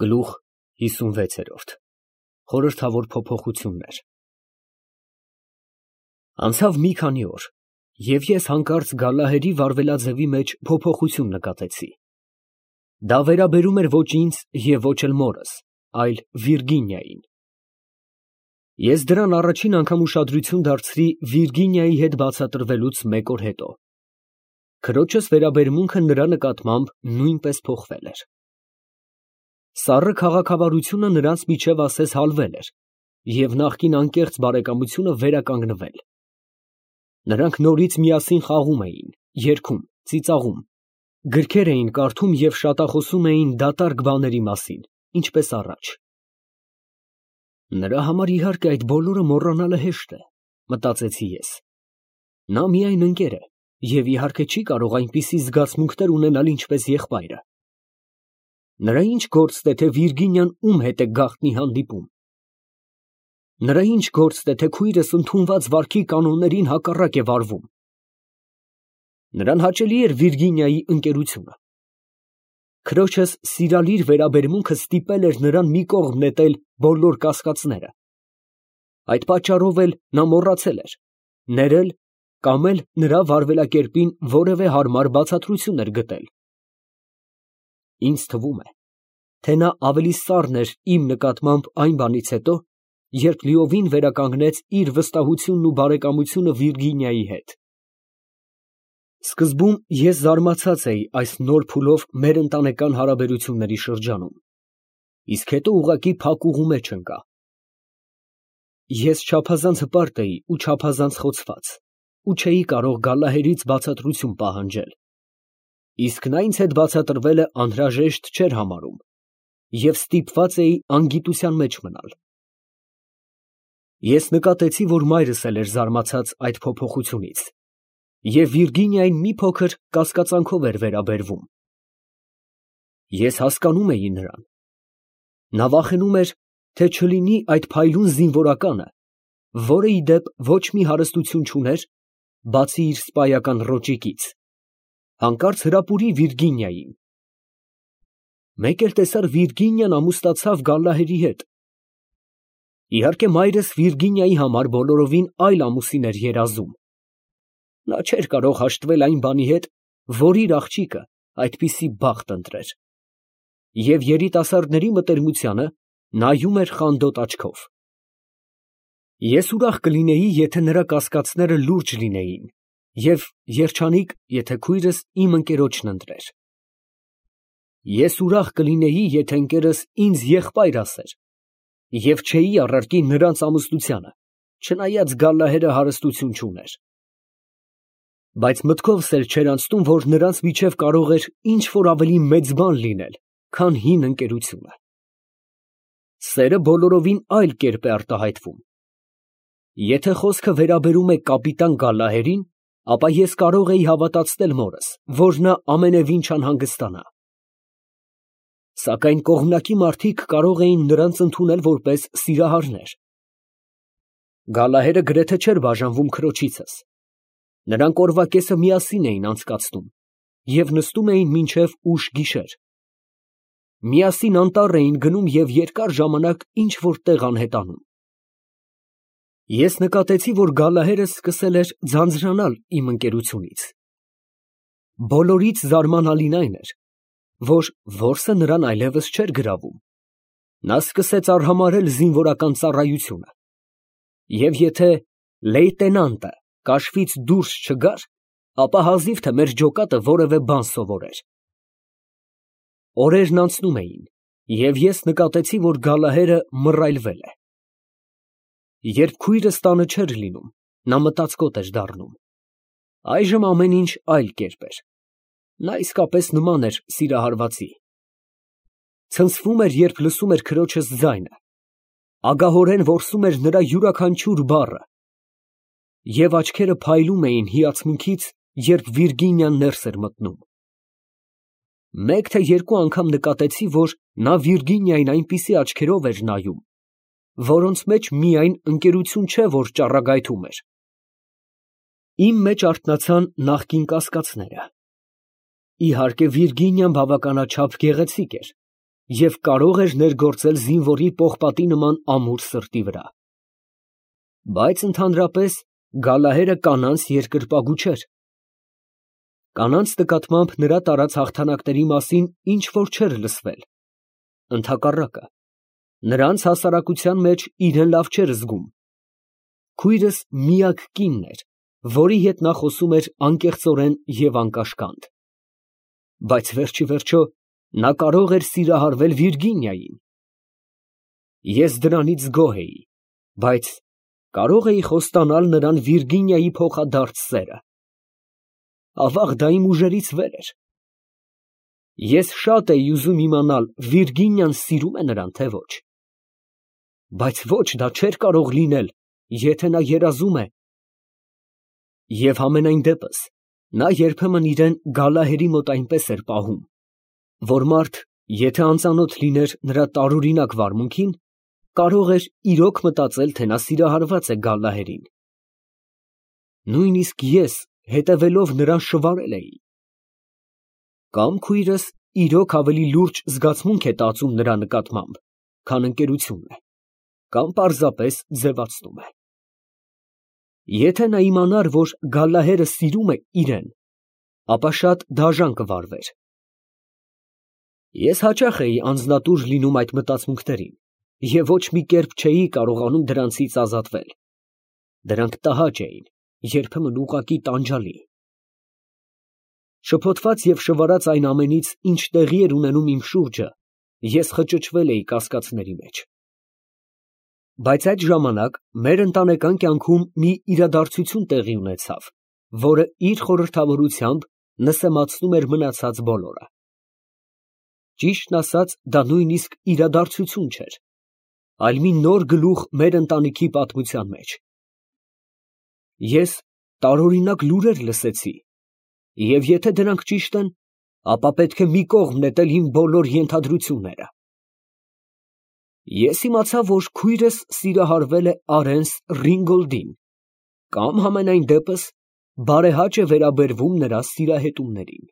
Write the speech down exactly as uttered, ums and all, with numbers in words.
Գլուխ հիսունվեց։ Խորհրդավոր փոփոխություններ։ Անցավ մի քանի օր, և ես հանկարծ Գալլահերի վարվելաձևի մեջ փոփոխություն նկատեցի. դա վերաբերում էր ոչ ինձ և ոչ էլ մորս, այլ Վիրգինիային։ Ես դրան առաջին անգամ ուշադրություն դարձրի Վիրգինիայի հետ բացատրվելուց մեկ օր հետո։ Քրոջս վերաբերմունքը նրա նկատմամբ նույնպես փոխվել էր։ Սառը քաղաքավարությունը նրանց միջև ասես հալվել էր, և նախկին անկեղծ բարեկամությունը վերականգնվել։ Նրանք նորից միասին խաղում էին, երգում, ծիծաղում, գրքեր էին կարդում և շատախոսում էին դատարկ բաների մասին, ինչպես առաջ։ Նրա համար, իհարկե, այդ բոլորը մոռանալը հեշտ է, մտածեցի ես։ Նա միայն ընկեր է և, իհարկե, չի կարող այնպիսի զգացմունքներ ունենալ, ինչպես եղբայրը։ Նրա ի՞նչ գործն է, թե Վիրգինիան ում հետ է գաղտնի հանդիպում։ Նրա ի՞նչ գործն է, թե քույրս ընդունված վարքի կանոններին հակառակ է վարվում։ Նրան հաճելի էր Վիրգինիայի ընկերությունը։ Քրոջս սիրալիր վերաբերմունքը ստիպել էր նրան մի կողմ նետել բոլոր կասկածները։ Այդ պատճառով էլ նա մոռացել էր, ներել կամ էլ նրա վարվելակերպին որևէ հարմար բացատրություն էր գտել։ Ինձ թվում է, թե նա ավելի սառն էր իմ նկատմամբ այն բանից հետո, երբ լիովին վերականգնեց իր վստահությունն ու բարեկամությունը Վիրգինիայի հետ։ Սկզբում ես զարմացած էի այս նոր փուլով մեր ընտանեկան հարաբերությունների շրջանում, իսկ հետո ուղղակի փակուղու մեջ ընկա։ Ես չափազանց հպարտ էի ու չափազանց խոցված ու չէի կարող Գալլահերից բացատրություն պահանջել, իսկ նա ինձ հետ բացատրվելը անհրաժեշտ չէր համարում և ստիպված էի անգիտության մեջ մնալ։ Ես նկատեցի, որ մայրս էլ էր զարմացած այդ փոփոխությունից, և Վիրգինիային մի փոքր կասկածանքով էր վերաբերվում։ Ես հասկանում էի նրան։ Նա վախենում էր, թե չլինի այդ փայլուն զինվորականը, որը, ի դեպ, ոչ մի հարստություն չուներ, բացի իր սպայական ռոճիկից, հանկարծ հրապուրի Վիրգինիային։ Մեկ էլ տեսար Վիրգինիան ամուսնացավ Գալլահերի հետ։ Իհարկե, մայրս Վիրգինիայի համար բոլորովին այլ ամուսին էր երազում։ Նա չէր կարող հաշտվել այն բանի հետ, որ իր աղջիկը այդպիսի բախտ ընտրեր, և երիտասարդների մտերմությանը նայում էր խանդոտ աչքով։ Ես ուրախ կլինեի, եթե նրա կասկածները լուրջ լինեին, և երջանիկ, եթե քույրս իմ ընկերոջն ընտրեր։ Ես ուրախ կլինեի, եթե ընկերս ինձ եղբայր ասեր, և չէի առարկի նրանց ամուսնությանը, չնայած Գալլահերը հարստություն չուներ։ Բայց մտքովս էլ չէր անցնում, որ նրանց միջև կարող էր ինչ֊որ ավելի մեծ բան լինել, քան հին ընկերությունը։ Սերը բոլորովին այլ կերպ է արտահայտվում։ Եթե խոսքը վերաբերում է կապիտան Գալլահերին, ապա ես կարող էի հավատացնել մորս, որ նա ամենևին չանհանգստանա։ Սակայն կողմնակի մարդիկ կարող էին նրանց ընդունել որպես սիրահարներ։ Գալլահերը գրեթե չէր բաժանվում քրոջիցս։ Նրանք օրվա կեսը միասին էին անցկացնում և նստում էին մինչև ուշ գիշեր։ Միասին անտառ էին գնում և երկար ժամանակ ինչ֊որ տեղ անհետանում։ Ես նկատեցի, որ Գալլահերը սկսել էր ձանձրանալ իմ ընկերությունից։ Բոլորից զարմանալին այն էր, որ որսը նրան այլևս չէր գրավում։ Նա սկսեց արհամարհել զինվորական ծառայությունը, և եթե լեյտենանտը կաշվից դուրս չգար, ապա հազիվ թե մեր ջոկատը որևէ բան սովորեր։ Օրերն անցնում էին, և ես նկատեցի, որ Գալլահերը մռայլվել է։ Երբ քույրս տանը չէր լինում, նա մտածկոտ էր դառնում։ Այժմ ամեն ինչ այլ կերպ էր։ Նա իսկապես նման էր սիրահարվածի։ Ցնցվում էր, երբ լսում էր քրոջս ձայնը, ագահորեն որսում էր նրա յուրաքանչյուր բառը, և աչքերը փայլում էին հիացմունքից, երբ Վիրգինիան ներս էր մտնում։ Մեկ թե երկու անգամ նկատեցի, որ նա Վիրգինիային այնպիսի աչքերով էր նայում, որոնց մեջ միայն ընկերություն չէ, որ ճառագայթում էր։ Իմ մեջ արթնացան նախկին կասկածները։ Իհարկե, Վիրգինիան բավականաչափ գեղեցիկ էր, և կարող էր ներգործել զինվորի պողպատի նման ամուր սրտի վրա։ Բայց ընդհանրապես Գալահերը կանանց երկրպագու չէր։ Կանանց նկատմամբ նրա տարած հաղթանակների մասին ինչ֊որ չէր լսվել, ընդհակառակը, նրանց հասարակության մեջ իրեն լավ չէր զգում։ Քույրս միակ կինն էր, որի հետ նա խոսում էր անկեղծորեն և անկաշկանդ։ Բայց վերջիվերջո նա կարող էր սիրահարվել Վիրգինիային։ Ես դրանից գոհ էի, բայց կարո՞ղ էի խոստանալ նրան Վիրգինիայի փոխադարձ սերը։ Ավաղ, դա իմ ուժերից վեր էր։ Ես շատ էի ուզում իմանալ Վիրգինիան սիրում է նրան, թե ոչ։ Բայց ոչ, դա չէր կարող լինել, եթե նա երազում է։ Եվ համենայն դեպս, նա երբեմն իրան Գալահերի մոտ այնպես էր պահում, որ մարդ, եթե անծանոթ լիներ նրա տարօրինակ վարմունքին, կարող էր իրոք մտածել, թե նա սիրահարված է Գալլահերին։ Նույնիսկ ես, հետևելով նրան, շվարել էի։ Կամ քույրս իրոք ավելի լուրջ զգացմունք է տածում նրա նկատմամբ, քան ընկերությունն է, կամ պարզապես ձևացնում է։ Եթե նա իմանար, որ Գալլահերը սիրում է իրան, ապա շատ դաժան կվարվեր։ Ես հաճախ էի անձնատուր լինում այդ մտածմունքներին և ոչ մի կերպ չէի կարողանում դրանցից ազատվել։ Դրանք տհաճ էին, երբեմն ուղղակի տանջալի։ Շփոթված և շվարած այն ամենից, ինչ տեղի էր ունենում իմ շուրջը, ես խճճվել էի կասկածների մեջ։ Բայց այդ ժամանակ մեր ընտանեկան կյանքում մի իրադարձություն տեղի ունեցավ, որը իր խորհրդավորությամբ նսեմացնում էր մնացած բոլորը։ Ճիշտն ասած, դա նույնիսկ իրադարձություն չէր, այլ մի նոր գլուխ մեր ընտանիքի պատմության մեջ։ Ես տարօրինակ լուրեր լսեցի, և եթե դրանք ճիշտ են, ապա պետք է մի կողմ նետել իմ բոլոր ենթադրությունները։ Ես իմացա, որ քույրս սիրահարվել է Արենս Ռինգոլդին, կամ համենայն դեպս բարեհաճ է վերաբերվում նրա սիրահետումներին։